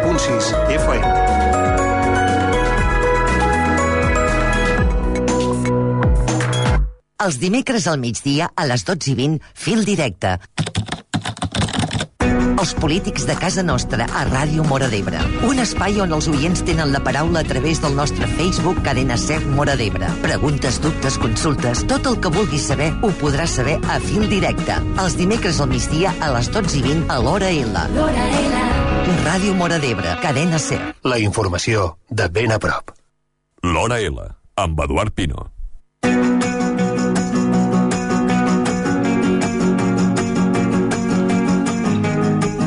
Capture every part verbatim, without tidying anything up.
punt sis F M. Els dimecres al migdia, a les dotze i vint, Fil Directe. Els polítics de casa nostra a Ràdio Móra d'Ebre. Un espai on els oients tenen la paraula a través del nostre Facebook Cadena Ser Móra d'Ebre. Preguntes, dubtes, consultes, tot el que vulguis saber ho podràs saber a Fil Directe. Els dimecres al migdia a les dotze i vint a l'Hora L. L'Hora L. Ràdio Móra d'Ebre, Cadena Ser. La informació de ben a prop. L'Hora L, amb Eduard Pino.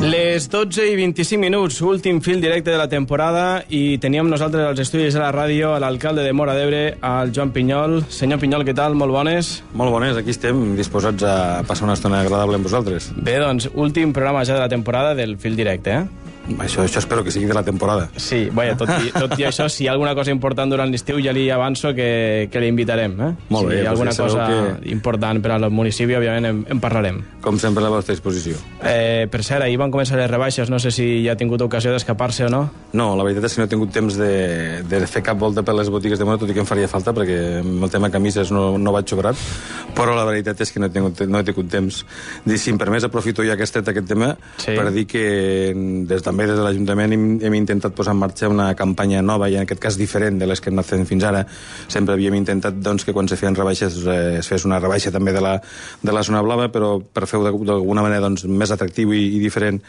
Les dotze i vint-i-cinc minuts, últim fil directe de la temporada, i teníem nosaltres als estudis de la ràdio a l'alcalde de Móra d'Ebre, al Joan Pinyol. Senyor Pinyol, què tal? Molt bones? Molt bones, aquí estem disposats a passar una estona agradable amb vosaltres. Bé, doncs, últim programa ja de la temporada del fil directe, eh? Això, això espero que sigui de la temporada. Sí, vaja, tot i, tot i això, si hi ha alguna cosa important durant l'estiu, ja li avanço que, que l'invitarem, eh? Molt bé, si hi ha alguna doncs ja cosa que... important per al municipi, òbviament en, en parlarem. Com sempre, a la vostra disposició. Eh, per cert, ahir van començar les rebaixes, no sé si ja ha tingut ocasió d'escapar-se o no. No, la veritat és que no he tingut temps de, de fer cap volta per les botigues de Móra, tot i que em faria falta, perquè amb el tema camises no, no vaig sobrat, però la veritat és que no he tingut, no he tingut temps. Si em permès, aprofito ja aquest, aquest tema sí. per dir que des, també des de l'Ajuntament hem, hem intentat posar en marxa una campanya nova, i en aquest cas diferent de les que hem anat fent fins ara. Sempre havíem intentat doncs, que quan se feien rebaixes eh, es fes una rebaixa també de la, de la zona blava, però per fer-ho d'alguna manera doncs, més atractiu i, i diferent,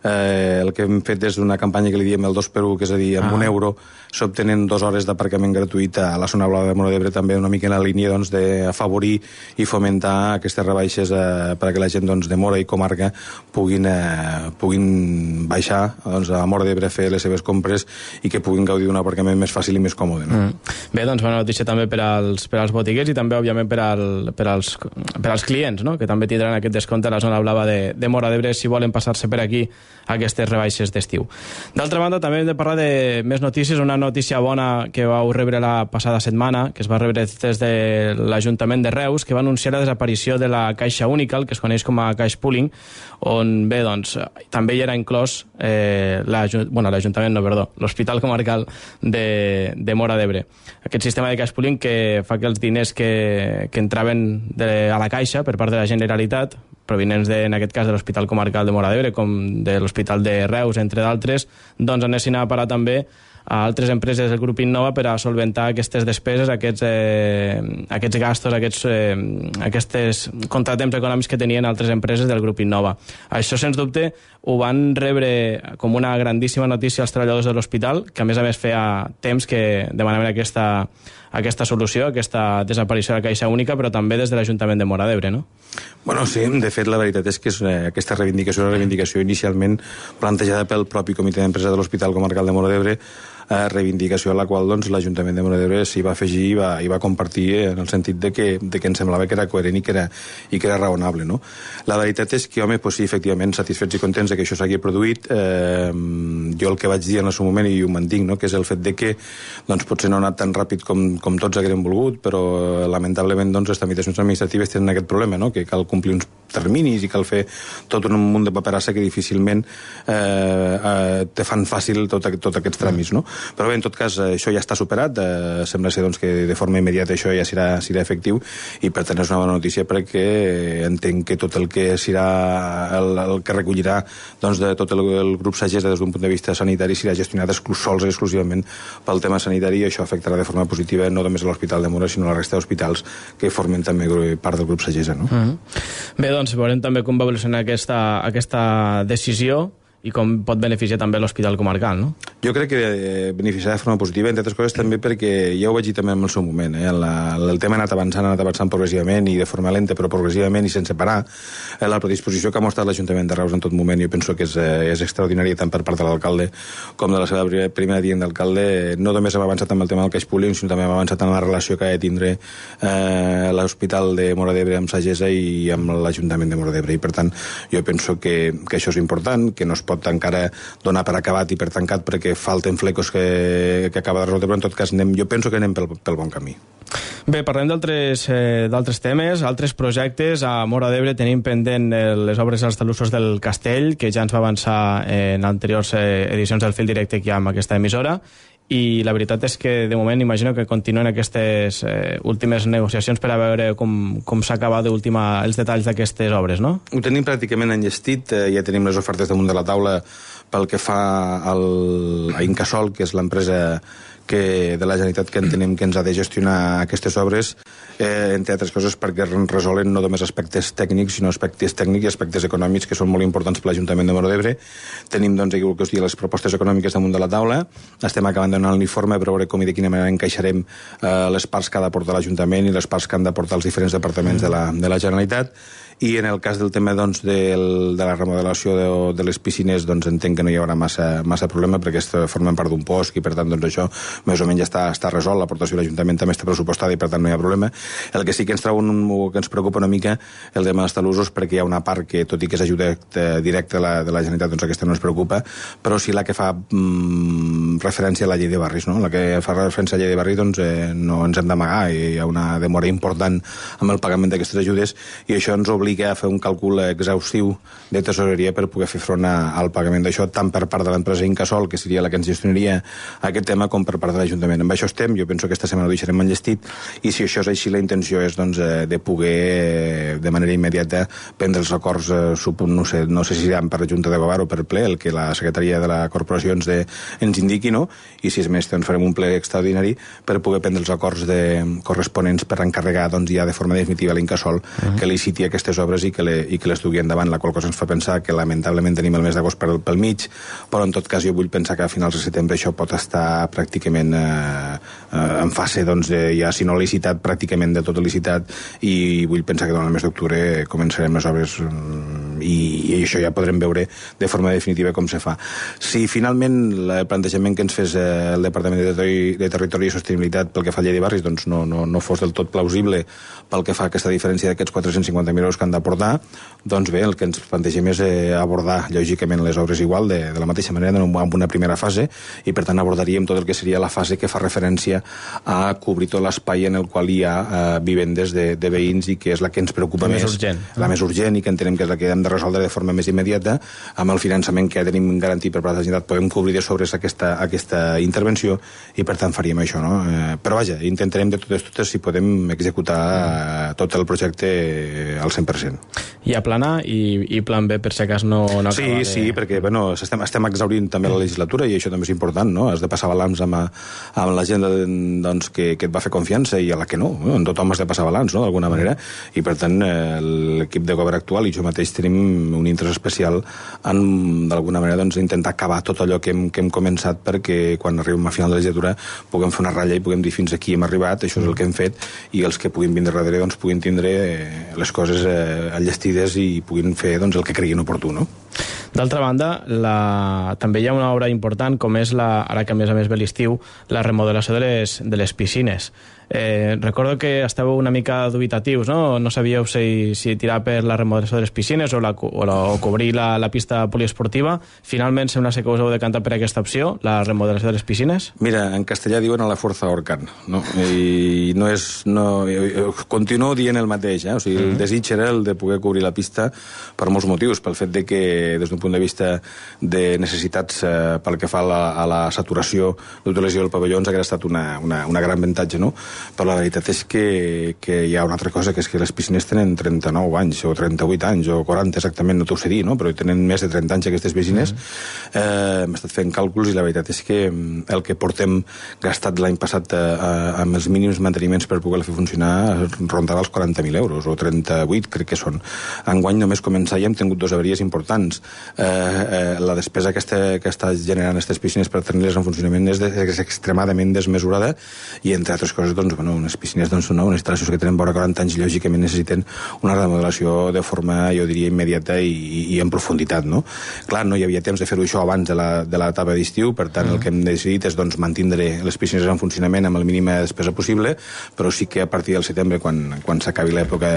eh, el que hem fet és una campanya que li diem el dos per u, que és a dir, amb ah. un euro s'obtenen dues hores d'aparcament gratuït a la zona blava de Móra d'Ebre, també una mica en la línia doncs, d'afavorir i fomentar aquestes rebaixes eh, perquè la gent doncs, de Móra i comarca puguin, eh, puguin baixar doncs, a Móra d'Ebre a fer les seves compres i que puguin gaudir d'un aparcament més fàcil i més còmode. No? Mm. Bé, doncs bona notícia també per als, per als botiguers i també, òbviament, per, al, per, als, per als clients, no? Que també tindran aquest descompte a la zona blava de, de Móra d'Ebre si volen passar-se per aquí a aquestes rebaixes d'estiu. D'altra banda, també hem de parlar de més notícies. Una notícia bona que vau rebre la passada setmana, que es va rebre des de l'Ajuntament de Reus, que va anunciar la desaparició de la Caixa Única, el que es coneix com a Cash Pooling, on, bé, doncs, també hi era inclòs eh, l'Ajuntament, bueno, l'Ajuntament, no, perdó, l'Hospital Comarcal de, de Móra d'Ebre. Aquest sistema de Cash Pooling que fa que els diners que, que entraven de, a la Caixa per part de la Generalitat, provinents de, en aquest cas de l'Hospital Comarcal de Móra d'Ebre, com de l'Hospital de Reus, entre d'altres, doncs anessin a parar també a altres empreses del grup Innova per a solventar aquestes despeses, aquests, eh, aquests gastos, aquests, eh, aquestes contratemps econòmics que tenien altres empreses del grup Innova. Això, sens dubte, ho van rebre com una grandíssima notícia als treballadors de l'hospital, que a més a més feia temps que demanaven aquesta, aquesta solució, aquesta desaparició de la Caixa Única, però també des de l'Ajuntament de Móra d'Ebre, no? Bueno, sí, de fet, la veritat és que és, eh, aquesta reivindicació, la reivindicació inicialment plantejada pel propi Comitè d'Empresa de l'Hospital Comarcal de Móra d'Ebre, eh, reivindicació a la qual doncs, l'Ajuntament de Móra d'Ebre s'hi va afegir i va, i va compartir en el sentit de que, de que ens semblava que era coherent i que era, i que era raonable. No? La veritat és que, home, pues sí, efectivament, satisfets i contents de que això s'hagi produït. Eh, jo el que vaig dir en el seu moment, i ho mantinc, no? que és el fet de que doncs, potser no ha anat tan ràpid com, com tots haguérem volgut, però lamentablement doncs, les tramitacions administratives tenen aquest problema, no? que cal complir uns terminis i cal fer tot un munt de paperassa que difícilment eh, eh, te fan fàcil tot, tot aquests tràmits. No? Però bé, en tot cas, això ja està superat, eh, sembla ser doncs, que de forma immediata això ja serà, serà efectiu, i per tant és una bona notícia perquè entenc que tot el que serà el, el que recollirà doncs, de tot el, el grup Sagessa des d'un punt de vista sanitari serà gestionat exclus, sols i exclusivament pel tema sanitari, i això afectarà de forma positiva no només a l'Hospital de Móra, sinó a la resta d'hospitals que formen també part del grup Sagessa. No? Mm-hmm. Bé, doncs veurem també com va evolucionar aquesta, aquesta decisió i com pot beneficiar també l'Hospital Comarcal, no? Jo crec que beneficiarà de forma positiva, entre altres coses també perquè ja ho vaig dir també en el seu moment, eh? la, el tema ha anat avançant, ha anat avançant progressivament i de forma lenta, però progressivament i sense parar. Eh, la predisposició que ha mostrat l'Ajuntament de Reus en tot moment jo penso que és, eh, és extraordinària tant per part de l'alcalde com de la seva primera dient d'alcalde. No només hem avançat amb el tema del cash pooling, sinó també hem avançat en la relació que ha de tindre eh, l'Hospital de Móra d'Ebre amb Sagessa i amb l'Ajuntament de Móra d'Ebre, i per tant jo penso que, que això és important, que no es pot encara donar per acabat i per tancat perquè falten flecos que, que acaba de resoldre, però en tot cas anem, jo penso que anem pel, pel bon camí. Bé, parlem d'altres eh, d'altres temes, altres projectes. A Móra d'Ebre tenim pendent eh, les obres als talussos del Castell, que ja ens va avançar eh, en anteriors eh, edicions del Fil Directe que hi ha amb aquesta emissora, i la veritat és que de moment imagino que continuen aquestes eh, últimes negociacions per a veure com, com s'acaba d'última els detalls d'aquestes obres, no? Ho tenim pràcticament enllestit, eh, ja tenim les ofertes damunt de la taula pel que fa al, a Incasol, que és l'empresa que de la Generalitat que entenem que ens ha de gestionar aquestes obres, eh, entre altres coses perquè resolen no només aspectes tècnics, sinó aspectes tècnics i aspectes econòmics que són molt importants per l'Ajuntament de Móra d'Ebre. Tenim, doncs, aquí, que us digui, les propostes econòmiques damunt de la taula. Estem acabant de donar l'informe per veure com i de quina manera encaixarem eh, les parts que ha d'aportar l'Ajuntament i les parts que han d'aportar els diferents departaments de la, de la Generalitat. I en el cas del tema, doncs, del, de la remodelació de, de les piscines, doncs entenc que no hi haurà massa, massa problema perquè formen part d'un bosc i per tant doncs, això més o menys ja està, està resolt. L'aportació de l'Ajuntament també està pressupostada i per tant no hi ha problema. El que sí que ens treu un, que ens preocupa una mica el tema dels talussos, perquè hi ha una part que, tot i que és ajuda directa de la, de la Generalitat, doncs aquesta no ens preocupa, però sí la que fa mm, referència a la llei de barris, no? La que fa referència a la llei de barris, doncs eh, no ens hem d'amagar, hi ha una demora important amb el pagament d'aquestes ajudes i això ens obliga a fer un càlcul exhaustiu de tesoreria per poder fer front a, al pagament d'això, tant per part de l'empresa Incasol, que seria la que ens gestionaria aquest tema, com per part de l'Ajuntament. Amb això estem, jo penso que aquesta setmana ho deixarem enllestit, i si això és així, la intenció és doncs, de poder, de manera immediata, prendre els acords, eh, no sé, no sé si seran per Junta de Govern o per ple, el que la secretaria de la corporació ens, de, ens indiqui, no? I si és més, doncs farem un ple extraordinari per poder prendre els acords de, corresponents per encarregar doncs, ja de forma definitiva a l'Incasol uh-huh. que liciti aquestes obres i que, le, i que les dugui endavant, la qual cosa ens fa pensar que lamentablement tenim el mes d'agost pel, pel mig, però en tot cas jo vull pensar que a finals de setembre això pot estar pràcticament eh, eh, en fase, doncs, de, ja si no licitat, pràcticament de tot licitat, i vull pensar que durant el mes d'octubre començarem les obres i, i això ja podrem veure de forma definitiva com se fa. Si finalment el plantejament que ens fes eh, el Departament de Territori, de Territori i Sostenibilitat pel que fa a llei de barris doncs no, no, no fos del tot plausible pel que fa a aquesta diferència d'aquests quatre-cents cinquanta mil euros que han d'aportar, doncs bé, el que ens plantegem és eh, abordar lògicament les obres igual, de, de la mateixa manera, en una primera fase, i per tant abordaríem tot el que seria la fase que fa referència a cobrir tot l'espai en el qual hi ha eh, vivendes de, de veïns i que és la que ens preocupa la més, més urgent. la més urgent i que entenem que és la que hem de resoldre de forma més immediata. Amb el finançament que ja tenim garantit per part de la Generalitat podem cobrir de sobres aquesta, aquesta intervenció i per tant faríem això, no? Eh, però vaja, intentarem de totes totes si podem executar eh, tot el projecte al cent per cent. Hi ha plan A i, i plan B per si cas no, no sí, acaba de... Sí, perquè bueno, estem, estem exhaurint també la legislatura i això també és important, no? Has de passar balanç amb, amb la gent doncs, que, que et va fer confiança i a la que no, no? En tothom has de passar balanç, no? D'alguna manera, i per tant eh, l'equip de govern actual i jo mateix tenim un interès especial en d'alguna manera doncs, intentar acabar tot allò que hem, que hem començat perquè quan arribem a final de legislatura puguem fer una ratlla i puguem dir fins aquí hem arribat, això és el que hem fet i els que puguin vindre darrere doncs, puguin tindre eh, les coses eh, enllestides i puguin fer doncs, el que creguin oportú, no? D'altra banda, la... també hi ha una obra important com és, la... ara que a més a més ve l'estiu, la remodelació de les, de les piscines. Eh, recordo que estàveu una mica dubitatius, no? No sabíeu si, si tirar per la remodelació de les piscines o, la, o, la, o cobrir la, la pista poliesportiva. Finalment sembla ser que us heu decantat per aquesta opció, la remodelació de les piscines? Mira, en castellà diuen a la forza ahorcant, no? I no és... No, continuo dient el mateix, eh? O sigui, el desig era el de poder cobrir la pista per molts motius, pel fet de que des d'un punt de vista de necessitats eh, pel que fa a la, a la saturació d'utilització del pavelló ens hauria estat una, una, una gran avantatge, no? Però la veritat és que, que hi ha una altra cosa, que és que les piscines tenen trenta-nou anys, o trenta-vuit anys, o quaranta exactament, no t'ho sé dir, no? Però tenen més de trenta anys aquestes piscines. Mm. Eh, Hem estat fent càlculs i la veritat és que el que portem gastat l'any passat eh, amb els mínims manteniments per poder fer funcionar rondava els quaranta mil euros, o trenta-vuit crec que són. Enguany només començar i hem tingut dos avaries importants. Eh, eh, la despesa que està, que està generant aquestes piscines per tenir-les en funcionament és, de, és extremadament desmesurada i entre altres coses doncs, doncs, bueno, unes piscines, doncs, no, unes instal·lacions que tenen vora quaranta anys, lògicament necessiten una remodelació de forma, jo diria, immediata i, i en profunditat, no? Clar, no hi havia temps de fer-ho això abans de la, de l'etapa d'estiu, per tant, mm. el que hem decidit és, doncs, mantindre les piscines en funcionament amb el mínima despesa possible, però sí que a partir del setembre, quan, quan s'acabi l'època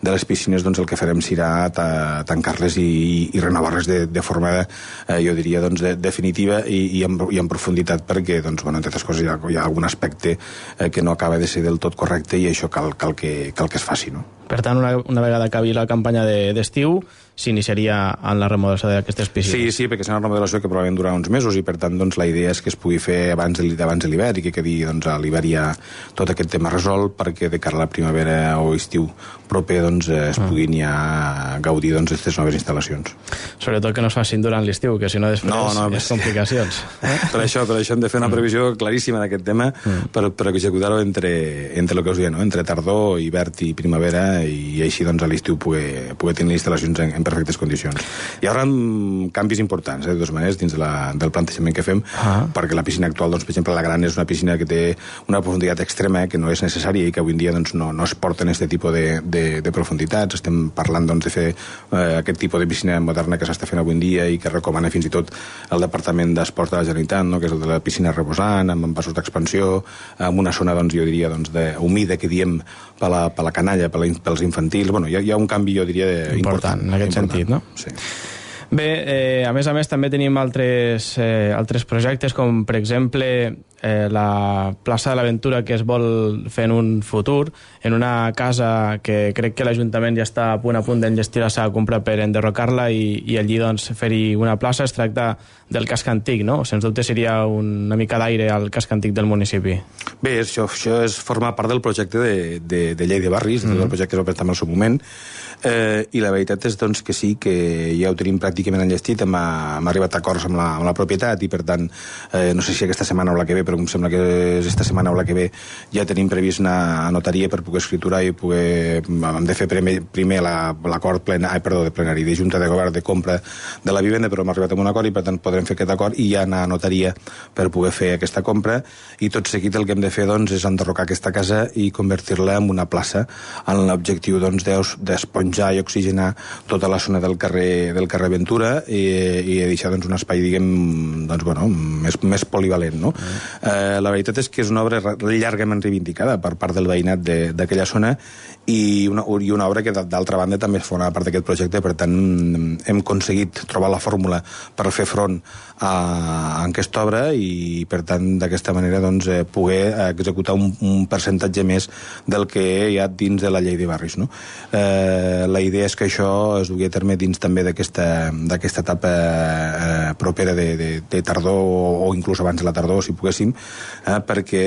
de les piscines, doncs el que farem serà ta, tancar-les i, i renovar-les de, de forma, eh, jo diria, doncs, de, definitiva i, i, en, i en profunditat, perquè, doncs, bueno, entre altres coses, hi ha, hi ha algun aspecte eh, que no acaba de ser del tot correcte i això cal, cal, que, cal que es faci, no? Per tant, una, una vegada acabi la campanya d'estiu, de, s'iniciaria en la remodelació d'aquestes piscines. Sí, sí, perquè és una remodelació que probablement durarà uns mesos i, per tant, doncs, la idea és que es pugui fer abans de, abans de l'hivern i que quedi, doncs, a l'hivern ja tot aquest tema resolt perquè de cara a la primavera o estiu proper, doncs, es puguin ja gaudir, doncs, d'aquestes noves instal·lacions. Sobretot que no es facin durant l'estiu, que si no després no, no, és complicacions. Per això, per això hem de fer una previsió claríssima d'aquest tema mm. per, per executar-ho entre, entre el que us deia, no? Entre tardor, hivern i primavera i així, doncs, a l'estiu poder, poder tenir instal·lacions en, en perfectes condicions. Hi haurà canvis importants, eh, de totes maneres, dins de la, del plantejament que fem, ah. perquè la piscina actual, doncs, per exemple, la gran és una piscina que té una profunditat extrema, eh, que no és necessària i que avui en dia, doncs, no, no es porten aquest tipus de, de, de profunditats. Estem parlant, doncs, de fer eh, aquest tipus de piscina moderna que s'està fent avui en dia i que recomana fins i tot el Departament d'Esports de la Generalitat, no?, que és el de la piscina reposant, amb envasos d'expansió, amb una zona, doncs, jo diria, doncs, de, humida, que diem, per la, per la canalla, per la, pels infantils. Bueno, hi ha, hi ha un canvi, jo diria, de, important, important en aquest important. Sentit, no? Sí. Bé, eh, a més a més també tenim altres, eh, altres projectes, com per exemple eh, la plaça de l'Aventura, que es vol fer en un futur, en una casa que crec que l'Ajuntament ja està a punt a punt d'enllestir la seva compra per enderrocar-la i, i allí, doncs, fer-hi una plaça. Es tracta del casc antic, no? Sens dubte seria una mica d'aire al casc antic del municipi. Bé, això, això és formar part del projecte de, de, de llei de barris, mm-hmm. del projecte que es va presentar en el seu moment, eh, i la veritat és, doncs, que sí, que ja ho tenim pràcticament enllestit, hem, hem arribat a acords amb la, amb la propietat i, per tant, eh, no sé si aquesta setmana o la que ve, però em sembla que és esta setmana o la que ve, ja tenim previst una notaria per poder escriturar i poder... Hem de fer primer, primer l'acord plena, ai, perdó, de plenari, de Junta de Govern de compra de la vivenda, però hem arribat a un acord i, per tant, podrem fer aquest acord i ja anar a notaria per poder fer aquesta compra, i tot seguit el que hem de fer, doncs, és enderrocar aquesta casa i convertir-la en una plaça, amb l'objectiu, doncs, d'esponjar i oxigenar tota la zona del carrer, del carrer Ventura i, i deixar, doncs, un espai, diguem, doncs, bueno, més, més polivalent, no? Mm. Eh, la veritat és que és una obra llargament reivindicada per part del veïnat d'aquella zona i una, i una obra que, d'altra banda, també forma part d'aquest projecte. Per tant, hem aconseguit trobar la fórmula per fer front a, a aquesta obra i, per tant, d'aquesta manera, doncs, eh, poder executar un, un percentatge més del que hi ha dins de la llei de barris, no? Eh, la idea és que això es dugui a terme dins també d'aquesta etapa eh, propera de, de, de tardor o, o inclús abans de la tardor, si poguéssim, eh, perquè,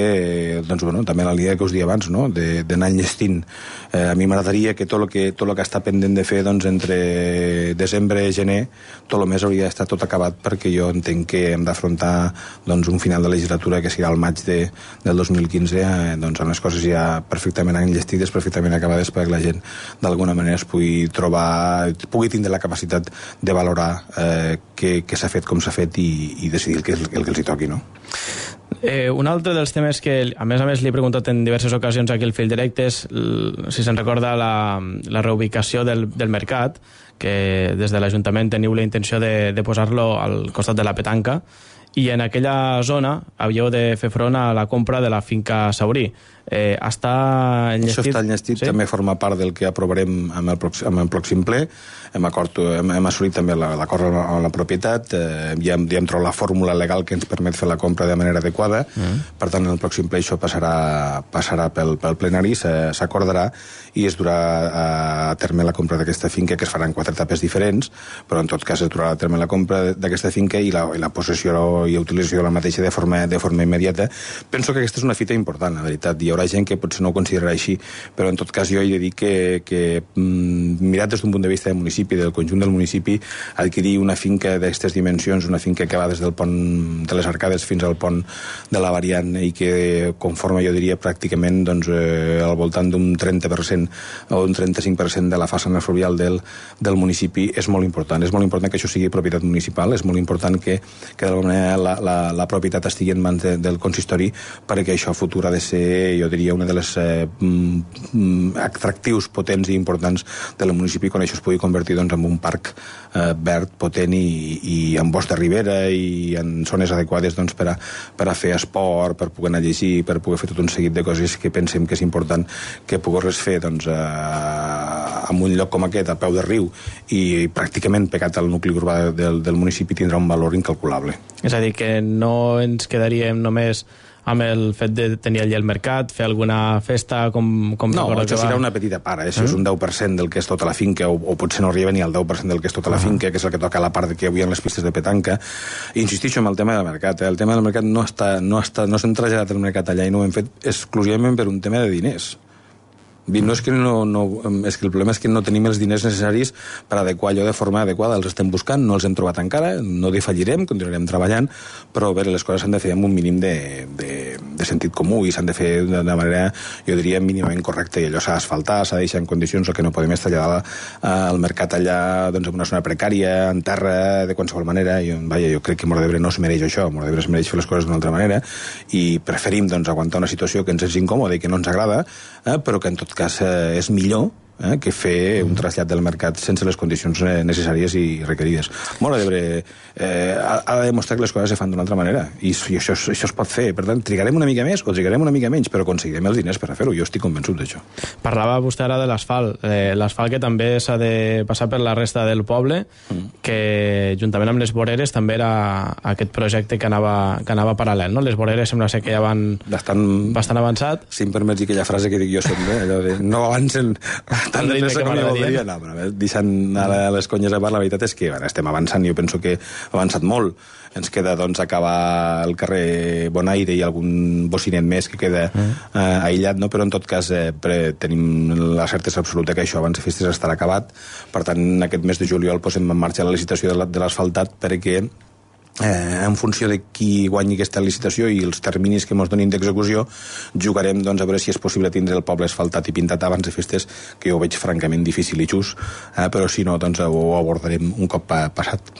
doncs, bueno, també la línia que us deia abans, no?, d'anar enllestint. Eh, a mi m'agradaria que tot el que, tot el que està pendent de fer, doncs, entre desembre i gener, tot el mes hauria d'estar tot acabat, perquè jo entenc que hem d'afrontar, doncs, un final de legislatura que serà el maig de, del dos mil quinze, eh, doncs, amb les coses ja perfectament enllestides, perfectament acabades, perquè la gent d'alguna manera es pugui trobar, pugui tindre la capacitat de valorar eh, què, què s'ha fet, com s'ha fet i, i decidir el que, el que els hi toqui, no? Eh, un altre dels temes que, a més a més, li he preguntat en diverses ocasions aquí al fil directe és, si se'n recorda, la, la reubicació del, del mercat, que des de l'Ajuntament teniu la intenció de, de posar-lo al costat de la petanca, i en aquella zona havíeu de fer front a la compra de la finca Saurí. Eh, està enllestit? Això està enllestit, sí? També forma part del que aprovarem amb el, pròxim, amb el pròxim ple. Hem, acord, hem, hem assolit també l'acord amb la propietat, eh, ja, hem, ja hem trobat la fórmula legal que ens permet fer la compra de manera adequada, mm. Per tant, en el pròxim ple això passarà, passarà pel, pel plenari, s'acordarà i es durà a terme la compra d'aquesta finca, que es farà en quatre etapes diferents, però en tot cas es durà a terme la compra d'aquesta finca i la, i la possessió i utilització de la mateixa de forma, de forma immediata. Penso que aquesta és una fita important, la veritat. Hi haurà gent que potser no ho considerarà així, però en tot cas jo he de dir que, que mirat des d'un punt de vista del municipi, del conjunt del municipi, adquirir una finca d'aquestes dimensions, una finca que va des del pont de les Arcades fins al pont de la Variant i que conforma, jo diria, pràcticament, doncs, eh, al voltant d'un trenta per cent o un trenta-cinc per cent de la façana fluvial del, del municipi, és molt important. És molt important que això sigui propietat municipal, és molt important que, que d'alguna manera la, la, la propietat estigui en mans de, del consistori, perquè això a futur ha de ser, jo diria, una de les eh, mm, atractius potents i importants del municipi quan això es pugui convertir doncs, en un parc eh, verd, potent i, i en bosc de ribera i en zones adequades doncs, per, a, per a fer esport, per poder anar a llegir, per poder fer tot un seguit de coses que pensem que és important que pogués fer doncs, eh, en un lloc com aquest, a peu de riu i pràcticament pegat al nucli urbà del, del municipi tindrà un valor incalculable. És a dir, que no ens quedaríem només amb el fet de tenir allà el mercat, fer alguna festa com, com no, recordo això que serà va... una petita part, eh? Això mm. és un deu per cent del que és tota la finca, o, o potser no arriba ni al deu per cent del que és tota la finca, que és el que toca la part que avui en les pistes de petanca. I insistixo en el tema del mercat, eh? El tema del mercat no està, no està, no s'ha traslladat el mercat allà i no ho hem fet exclusivament per un tema de diners. No és, que no, no, és que el problema és que no tenim els diners necessaris per adequar allò de forma adequada. Els estem buscant, no els hem trobat encara, no defallirem, continuarem treballant, però bé, les coses s'han de fer amb un mínim de, de, de sentit comú i s'han de fer de manera, jo diria, mínimament correcta, i allò s'ha d'asfaltar, s'ha de deixar en condicions, el que no podem és traslladar al mercat allà doncs, en una zona precària, en terra, de qualsevol manera. I, vaja, jo crec que Móra d'Ebre no es mereix això, Móra d'Ebre es mereix fer les coses d'una altra manera i preferim doncs, aguantar una situació que ens és incòmoda i que no ens agrada, eh, però que en tot cas eh, és millor eh, que fer un trasllat del mercat sense les condicions eh, necessàries i requerides. Móra d'Ebre eh, ha, ha de demostrar que les coses se fan d'una altra manera i, i això, això es pot fer. Per tant, trigarem una mica més o trigarem una mica menys, però aconseguirem els diners per a fer-ho. Jo estic convençut d'això. Parlava vostè ara de l'asfalt. Eh, l'asfalt que també s'ha de passar per la resta del poble, mm. que juntament amb les voreres també era aquest projecte que anava, que anava paral·lel, no? Les voreres sembla ser que ja van bastant, bastant avançat. Si em permets aquella frase que dic jo sempre, allò de no avancen tant de pressa com jo voldria. No, però deixant ara les conyes a part, la veritat és que bueno, estem avançant, jo penso que ha avançat molt. Ens queda doncs acabar el carrer Bonaire i algun bocinet més que queda mm. eh, aïllat, no? Però en tot cas eh, pre, tenim la certesa absoluta que això abans de festes estarà acabat. Per tant, aquest mes de juliol posem en marxa la licitació de l'asfaltat perquè Eh, en funció de qui guanyi aquesta licitació i els terminis que ens donin d'execució, jugarem doncs, a veure si és possible tindre el poble asfaltat i pintat abans de festes, que jo ho veig francament difícil i just, eh, però si no, doncs ho abordarem un cop pa passat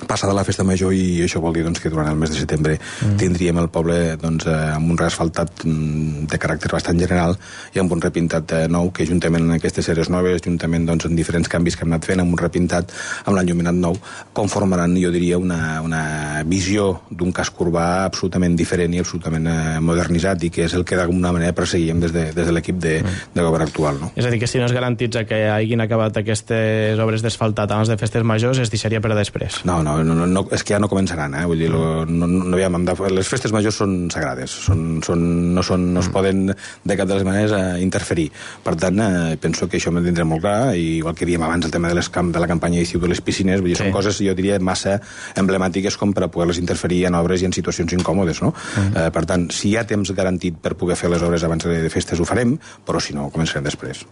passada la festa major, i això vol dir doncs, que durant el mes de setembre mm. tindríem el poble doncs, eh, amb un reasfaltat mm, de caràcter bastant general i amb un repintat eh, nou, que juntament amb aquestes sèries noves, juntament doncs, en diferents canvis que hem anat fent, amb un repintat, amb l'enllumenat nou, conformaran, jo diria, una, una visió d'un casc urbà absolutament diferent i absolutament eh, modernitzat, i que és el que d'alguna manera perseguíem des de, des de l'equip de, mm. de govern actual. No? És a dir, que si no es garantitza que hagin acabat aquestes obres d'asfaltat abans de festes majors, es deixaria per a després. No, no, no, no, no, és que ja no començaran, eh? Vull dir, lo, no, no, aviam, les festes majors són sagrades, són, són, no, són, no es poden de cap de les maneres eh, interferir. Per tant, eh, penso que això m'ho tindrà molt clar, i igual que diem abans el tema de, les camp, de la campanya d'estiu de les piscines, vull dir, sí. Són coses, jo diria, massa emblemàtiques com per a poder-les interferir en obres i en situacions incòmodes, no? Mm. Eh, per tant, si hi ha temps garantit per poder fer les obres abans de festes, ho farem, però si no, ho començarem després.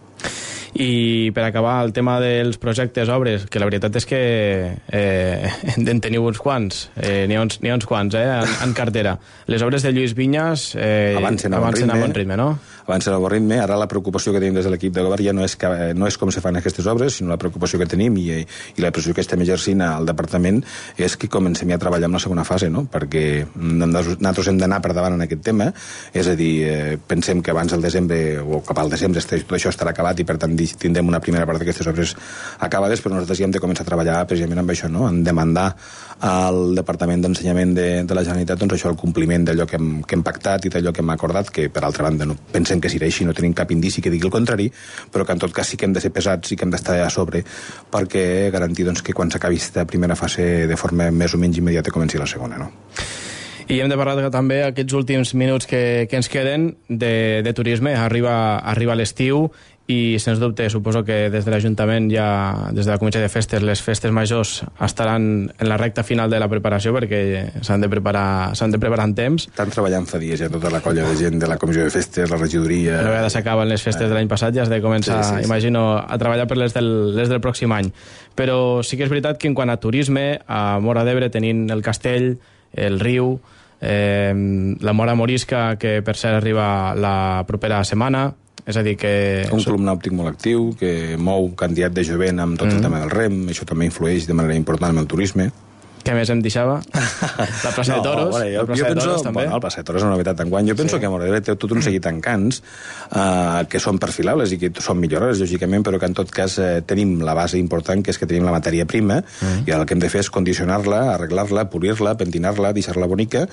I per acabar, el tema dels projectes, obres, que la veritat és que eh, en teniu uns quants, eh, n'hi ha uns, ha uns quants, eh, en, en cartera. Les obres de Lluís Vinyes eh, avancen a bon avancen ritme, a bon ritme, no? Avancen a bon ritme. Ara la preocupació que tenim des de l'equip de govern ja no és, que, no és com se fan aquestes obres, sinó la preocupació que tenim i, i la pressió que estem exercint al departament és que comencem ja a treballar en la segona fase, no? Perquè nosaltres hem d'anar per davant en aquest tema, és a dir, eh, pensem que abans del desembre o cap al desembre tot això estarà acabat i per tant tindrem una primera part d'aquestes obres acabades, però nosaltres ja hem de començar a treballar precisament amb això, no? En demandar al Departament d'Ensenyament de, de la Generalitat doncs això, el compliment d'allò que hem, que hem pactat i d'allò que hem acordat, que per altra banda no pensem que serà així, no tenim cap indici que digui el contrari, però que en tot cas sí que hem de ser pesats i que hem d'estar a sobre perquè garantir doncs, que quan s'acabi aquesta primera fase de forma més o menys immediata comenci la segona, no? I hem de parlar també aquests últims minuts que, que ens queden de, de turisme. Arriba, arriba l'estiu i, sens dubte, suposo que des de l'Ajuntament ja, des de la Comissió de Festes, les festes majors estaran en la recta final de la preparació perquè s'han de preparar, s'han de preparar en temps. Estan treballant fa dies ja tota la colla de gent de la Comissió de Festes, la regidoria... Una vegada s'acaben les festes de l'any passat ja has de començar, sí, sí, sí. imagino, a treballar per les del, les del pròxim any. Però sí que és veritat que en quant a turisme, a Móra d'Ebre tenint el castell, el riu, eh, la Mora Morisca, que per cert arriba la propera setmana, és a dir que... Un club nàutic molt actiu, que mou quantitat de jovent amb tot mm. el tema del rem, això també influeix de manera important en el turisme. Què més em deixava? La plaça no, de Toros. Bueno, jo, la plaça jo de penso, Toros, també. Bueno, la plaça de Toros és una novetat d'enguany. Jo penso sí. que a Móra d'Ebre té tot un seguit d'encants eh, que són perfilables i que són millorables, lògicament, però que en tot cas eh, tenim la base important, que és que tenim la matèria prima, mm. i el que hem de fer és condicionar-la, arreglar-la, polir-la, pentinar-la, deixar-la bonica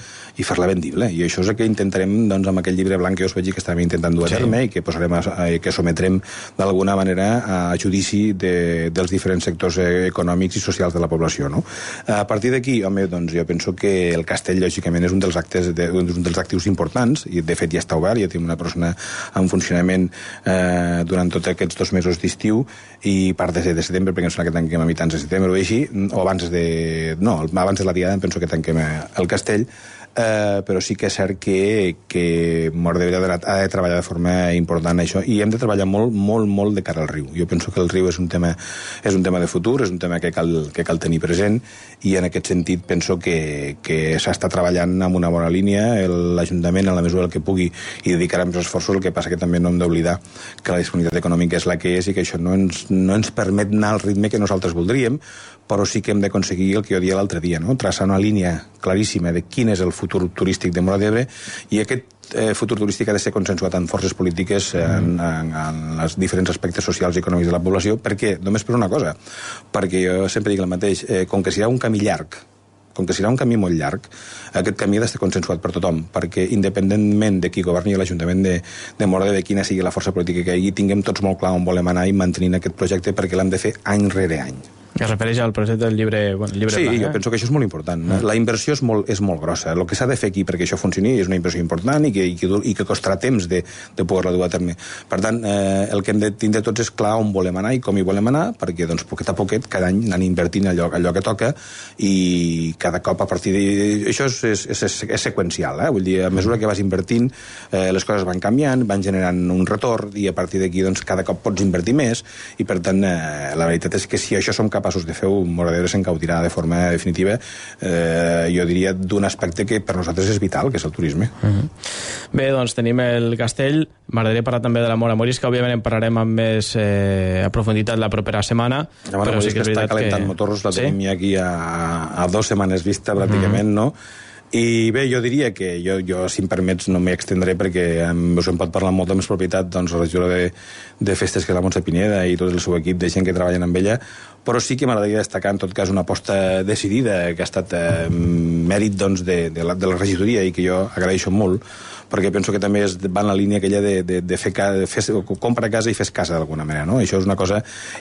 i fer-la vendible. I això és el que intentarem doncs, amb aquell llibre blanc que us vaig dir que estàvem intentant dur a sí. terme i que posarem a, a, que sometrem d'alguna manera a judici de, dels diferents sectors econòmics i socials de la població. No? A partir d'aquí, home, doncs jo penso que el castell, lògicament, és un dels actes de, un dels actius importants, i de fet ja està obert, ja tenim una persona en funcionament eh, durant tots aquests dos mesos d'estiu, i part de, de setembre, perquè em sembla que tanquem a mitjans de setembre o així, o abans de... no, abans de la diada em penso que tanquem el castell, Uh, però sí que és cert que, que Móra d'Ebre ha de treballar de forma important això, i hem de treballar molt, molt, molt de cara al riu. Jo penso que el riu és un tema, és un tema de futur, és un tema que cal, que cal tenir present, i en aquest sentit penso que, que s'està treballant amb una bona línia, l'Ajuntament, en la mesura del que pugui, i dedicarà més esforços. El que passa que també no hem d'oblidar que la disponibilitat econòmica és la que és i que això no ens, no ens permet anar al ritme que nosaltres voldríem, però sí que hem d'aconseguir el que jo dia l'altre dia, no? Traçar una línia claríssima de quin és el futur turístic de Móra d'Ebre, i aquest eh, futur turístic ha de ser consensuat amb forces polítiques eh, en, en, en els diferents aspectes socials i econòmics de la població. Per què? Només per una cosa, perquè jo sempre dic el mateix, eh, com que serà un camí llarg, com que serà un camí molt llarg, aquest camí ha d'estar consensuat per tothom, perquè independentment de qui governi l'Ajuntament de, de Móra d'Ebre, quina sigui la força política que hi hagi, tinguem tots molt clar on volem anar i mantenint aquest projecte, perquè l'hem de fer any rere any. Que es refereix al projecte del llibre, bueno, llibre sí, blanc, eh? jo penso que això és molt important. Mm. La inversió és molt, és molt grossa. El que s'ha de fer aquí perquè això funcioni és una inversió important i que, i que, i que costarà temps de, de poder-la dur a terme. Per tant, eh, el que hem de tindre tots és clar on volem anar i com hi volem anar, perquè doncs, poquet a poquet, cada any anem invertint allò, allò que toca, i cada cop a partir de... Això és, és, és, és seqüencial, eh? Vull dir, a mesura que vas invertint, eh, les coses van canviant, van generant un retorn, i a partir d'aquí doncs, cada cop pots invertir més, i per tant, eh, la veritat és que si això som capaços de fer-ho, Móra d'Ebre s'encautirà de forma definitiva, eh, jo diria, d'un aspecte que per nosaltres és vital, que és el turisme. Uh-huh. Bé, doncs tenim el castell. M'agradaria parlar també de la Móra Morisca. Òbviament en parlarem amb més eh, a profunditat la propera setmana. La Móra Morisca sí està calentant que... motors, la tenim ja aquí a, a dos setmanes vista, pràcticament, uh-huh. no? I bé, jo diria que jo, jo si em permets, no m'hi extendré perquè em, us en pot parlar amb molta més propietat doncs, la regidora de, de festes, que és la Montse Pineda, i tot el seu equip de gent que treballen amb ella, però sí que m'agradaria destacar en tot cas una aposta decidida que ha estat eh, mèrit doncs, de, de, la, de la regidoria, i que jo agraeixo molt, perquè penso que també es va en la línia aquella de, de, de fer, de fer compra casa i fes casa d'alguna manera, no? Això és una cosa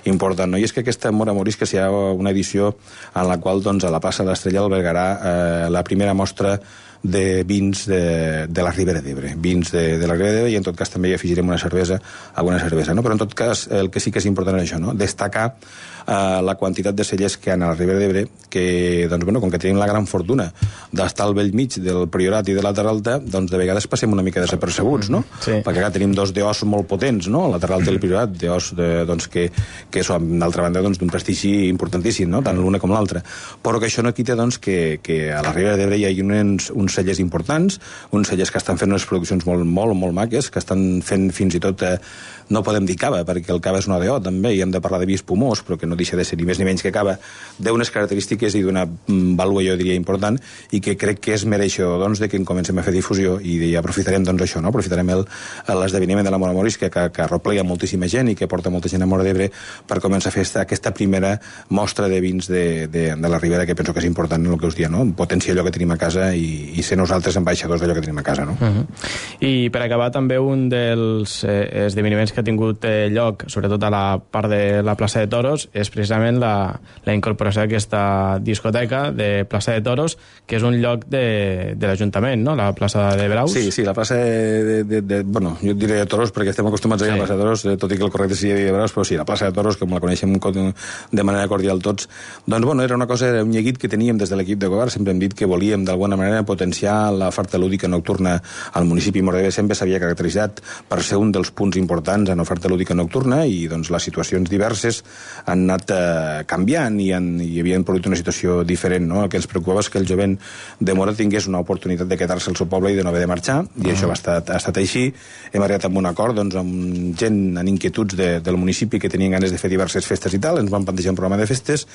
important, no? I és que aquesta Móra Morisca serà una edició en la qual doncs, a la plaça de l'Estrella albergarà eh, la primera mostra de vins de, de la Ribera d'Ebre, vins de, de la Ribera d'Ebre, i en tot cas també hi afegirem una cervesa, alguna cervesa, no? Però en tot cas el que sí que és important és això, no? Destacar eh, la quantitat de cellers que hi ha a la Ribera d'Ebre, que, doncs, bueno, com que tenim la gran fortuna d'estar al vell mig del Priorat i de la Terra Alta, doncs de vegades passem una mica desapercebuts, no? Sí. Perquè acá tenim dos deós molt potents, no? La Terra Alta i el Priorat, deós de, doncs, que, que són, d'altra banda, doncs, d'un prestigi importantíssim, no? Tant l'una com l'altra. Però que això no quita, doncs, que, que a la Ribera d'Ebre hi hagi uns, uns cellers importants, uns cellers que estan fent unes produccions molt, molt, molt maques, que estan fent fins i tot, eh, no podem dir cava, perquè el cava és una D O també, i hem de parlar de vi espumós, però que no deixa de ser ni més ni menys que cava, d'unes característiques i d'una vàlua, jo diria, important, i que crec que és mereixedor, doncs, de que en comencem a fer difusió, i, i aprofitarem, doncs, això, no? Aprofitarem l'esdeveniment de la Móra Morisca, que, que arroplega moltíssima gent i que porta molta gent a Móra d'Ebre, per començar a fer esta, aquesta primera mostra de vins de, de, de la Ribera, que penso que és important en el que us dia, no? Potenciar allò que tenim a casa i, i ser nosaltres ambaixadors d'allò que tenim a casa, no? Uh-huh. I per acabar, també un dels eh, esdeveniments que ha tingut eh, lloc, sobretot a la part de la plaça de Toros, és precisament la, la incorporació d'aquesta discoteca de plaça de Toros, que és un lloc de, de l'Ajuntament, no? La plaça de Braus. Sí, sí, la plaça de, de, de bueno, jo diré de Toros perquè estem acostumats a dir sí. La plaça de Toros, tot i que el correcte seria de Braus, però sí, la plaça de Toros, com la coneixem de manera cordial tots, doncs bueno, era una cosa, era un lleguit que teníem des de l'equip de govern, sempre hem dit que volíem d'alguna manera potenciar potenciar l'oferta lúdica nocturna al municipi. Móra d'Ebre sempre s'havia caracteritzat per ser un dels punts importants en oferta lúdica nocturna i doncs, les situacions diverses han anat eh, canviant i, han, i havien produït una situació diferent. No? El que ens preocupava és que el jovent de Móra tingués una oportunitat de quedar-se al seu poble i de no haver de marxar, i mm. això ha estat, ha estat així. Hem arribat amb un acord doncs, amb gent en inquietuds de, del municipi que tenien ganes de fer diverses festes i tal, ens van plantejar un programa de festes,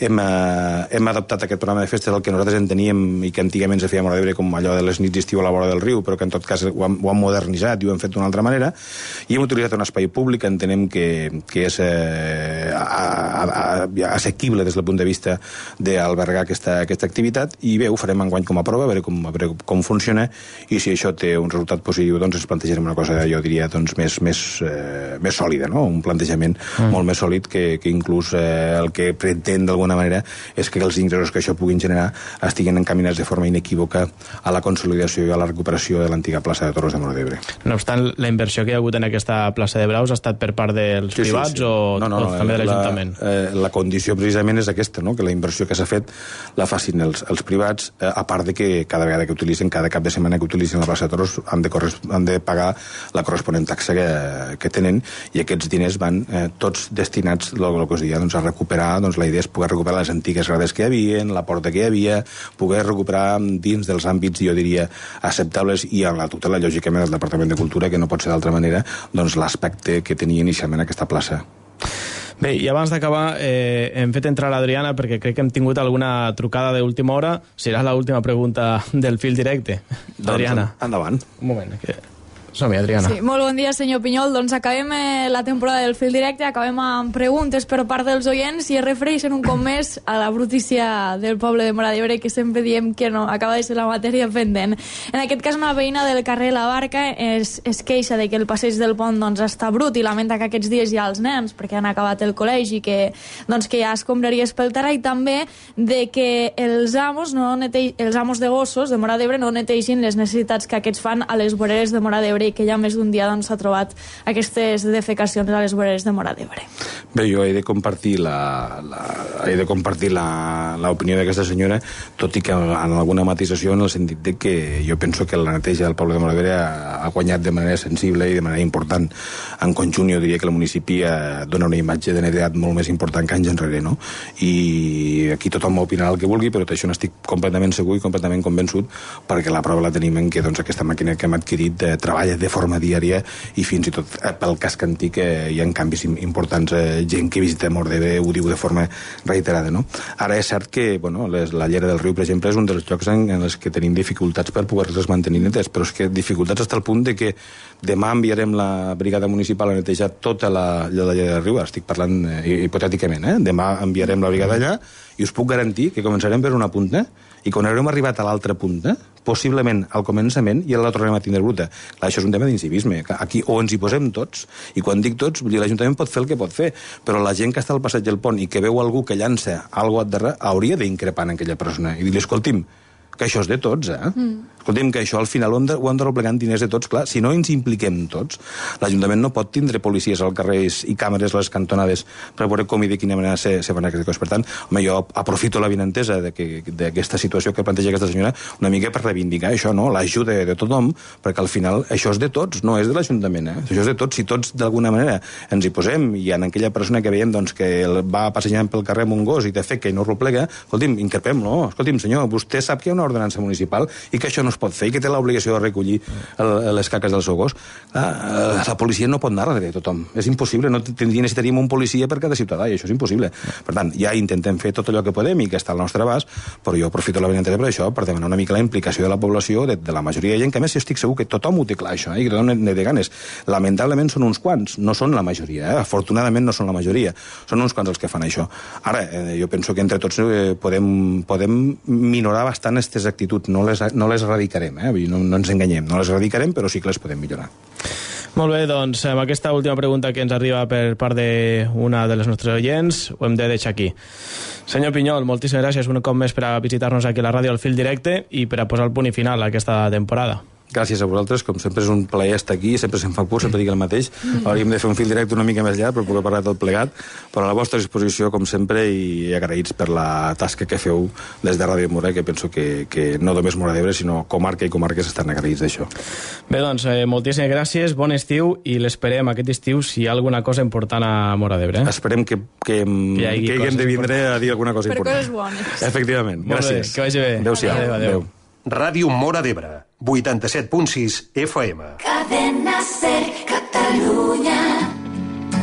hem, eh, hem adoptat aquest programa de festes, el que nosaltres enteníem i que antigament se feia a Móra d'Ebre com allò de les nits d'estiu a la vora del riu, però que en tot cas ho han, ho han modernitzat i ho han fet d'una altra manera, i hem utilitzat un espai públic que entenem que, que és eh, a, a, a, assequible des del punt de vista d'albergar aquesta, aquesta activitat, i bé, ho farem enguany com a prova, a veure com, a veure com funciona, i si això té un resultat positiu, doncs ens plantejarem una cosa, jo diria, doncs, més, més, eh, més sòlida, no? Un plantejament mm. molt més sòlid que, que inclús eh, el que pretén d'alguna manera és que els ingressos que això puguin generar estiguin encaminats de forma inequívoca a la consolidació i a la recuperació de l'antiga plaça de Toros de Móra d'Ebre. No obstant, la inversió que hi ha hagut en aquesta plaça de Braus ha estat per part dels sí, privats sí, sí. o, no, no, o també de l'Ajuntament? La, eh, la condició precisament és aquesta, no? Que la inversió que s'ha fet la facin els, els privats, eh, a part de que cada vegada que utilitzen, cada cap de setmana que utilitzen la plaça de Toros han de, han de pagar la corresponent taxa que, que tenen, i aquests diners van eh, tots destinats, el, el que us deia, doncs, a recuperar, doncs la idea és poder recuperar les antigues grades que hi havia, la porta que hi havia, poder recuperar dins dels àmbits, jo diria, acceptables, i amb la tutela, lògicament, del Departament de Cultura, que no pot ser d'altra manera, doncs l'aspecte que tenia inicialment aquesta plaça. Bé, i abans d'acabar, eh, hem fet entrar l'Adriana perquè crec que hem tingut alguna trucada d'última hora. Serà l'última pregunta del fil directe. Doncs, Adriana. Endavant. Un moment, que... Som-hi, Adriana. Sí, molt bon dia, senyor Pinyol. Doncs acabem eh, la temporada del fil directe, acabem amb preguntes per part dels oients i es refereixen un cop més a la brutícia del poble de Móra d'Ebre, que sempre diem que no, acaba de ser la matèria pendent. En aquest cas, una veïna del carrer La Barca es, es queixa de que el passeig del pont doncs, està brut i lamenta que aquests dies hi ha els nens perquè han acabat el col·legi, que, doncs, que hi ha escombraries pel terra, i també de que els amos, no netei, els amos de gossos de Móra d'Ebre no neteixin les necessitats que aquests fan a les voreres de Móra d'Ebre, i que ja més d'un dia doncs, s'ha trobat aquestes defecacions a les voreres de Móra d'Ebre. Bé, jo he de compartir la, la, he de compartir l'opinió d'aquesta senyora, tot i que en alguna matisació, en el sentit de que jo penso que la neteja del poble de Móra d'Ebre ha, ha guanyat de manera sensible i de manera important. En conjunt, jo diria que el municipi dona una imatge de netedat molt més important que anys enrere, no? I aquí tothom opinarà el que vulgui, però d'això n'estic completament segur i completament convençut, perquè la prova la tenim en que doncs, aquesta màquina que hem adquirit eh, treballa de forma diària, i fins i tot eh, pel casc antic eh, hi ha canvis importants. Eh, gent que visita Móra d'Ebre ho diu de forma reiterada, no? Ara és cert que bueno, les, la llera del riu, per exemple, és un dels llocs en, en els que tenim dificultats per poder-les mantenir netes, però és que dificultats fins al punt de que demà enviarem la brigada municipal a netejar tota la, la llera del riu. Ara estic parlant eh, hipotèticament, eh? Demà enviarem la brigada allà i us puc garantir que començarem per una punta, i quan haurem arribat a l'altra punta, possiblement al començament, ja la tornarem a tindre bruta. Clar, això és un tema d'incivisme. Aquí o ens hi posem tots, i quan dic tots, l'Ajuntament pot fer el que pot fer, però la gent que està al passeig del pont i que veu algú que llança alguna cosa darrere, hauria d'increpar en aquella persona i dir-li, escolti'm, que això és de tots, eh? Mm. Escolti'm, que això al final ho hem de, ho hem de replegar en diners de tots. Clar, si no ens impliquem tots, l'Ajuntament no pot tindre policies als carrers i càmeres a les cantonades per veure com i de quina manera se, se fan aquestes coses. Per tant, home, jo aprofito la vinentesa d'aquesta situació que planteja aquesta senyora una mica per reivindicar això, no? L'ajuda de tothom, perquè al final això és de tots, no és de l'Ajuntament, eh? Això és de tots. Si tots d'alguna manera ens hi posem, i en aquella persona que veiem doncs, que va passejant pel carrer amb un gos i té fe que no replega, escolti'm, increpem-lo. Escolti'm, senyor, vostè sap que hi ha una ordenança municipal i que això no es pot fer i que té l'obligació de recollir el, les caques del seu gos. Ah, la policia no pot anar darrere de tothom. És impossible. No tindria, necessitaríem un policia per cada ciutadà, i això és impossible. Per tant, ja intentem fer tot allò que podem i que està al nostre abast, però jo aprofito la benentesa per això, per demanar una mica la implicació de la població, de, de la majoria de gent, que a més jo estic segur que tothom ho té clar, això, eh? I que tothom ne té ganes. Lamentablement són uns quants, no són la majoria, eh? Afortunadament no són la majoria, són uns quants els que fan això. Ara, eh, jo penso que entre tots eh, podem, podem minorar bastant aquestes actituds, no les, no les erradicarem, eh? No, no ens enganyem, no les erradicarem, però sí que les podem millorar. Molt bé, doncs amb aquesta última pregunta que ens arriba per part d'una de les nostres oients ho hem de deixar aquí. Senyor Pinyol, moltíssimes gràcies un cop més per a visitar-nos aquí a la ràdio al fil directe i per a posar el punt i final a aquesta temporada. gràcies a vosaltres, com sempre és un plaer estar aquí, sempre se'm fa por, sempre dic el mateix. Hauríem de fer un fil directe una mica més llarg per poder parlar tot plegat, però a la vostra disposició, com sempre, i agraïts per la tasca que feu des de Ràdio Mora, que penso que, que no només Móra d'Ebre, sinó comarca i comarques estan agraïts d'això. Bé, doncs, eh, moltíssimes gràcies, bon estiu, i l'esperem aquest estiu si hi ha alguna cosa important a Móra d'Ebre. Eh? Esperem que, que, que, que haguem de vindre a dir alguna cosa per important. coses bones. Efectivament, Molt gràcies. bé, que vagi bé. Adéu-siau. Adéu, adéu. Adéu. Ràdio Móra d'Ebre, vuitanta-set punt sis F M. Cadena Ser Catalunya.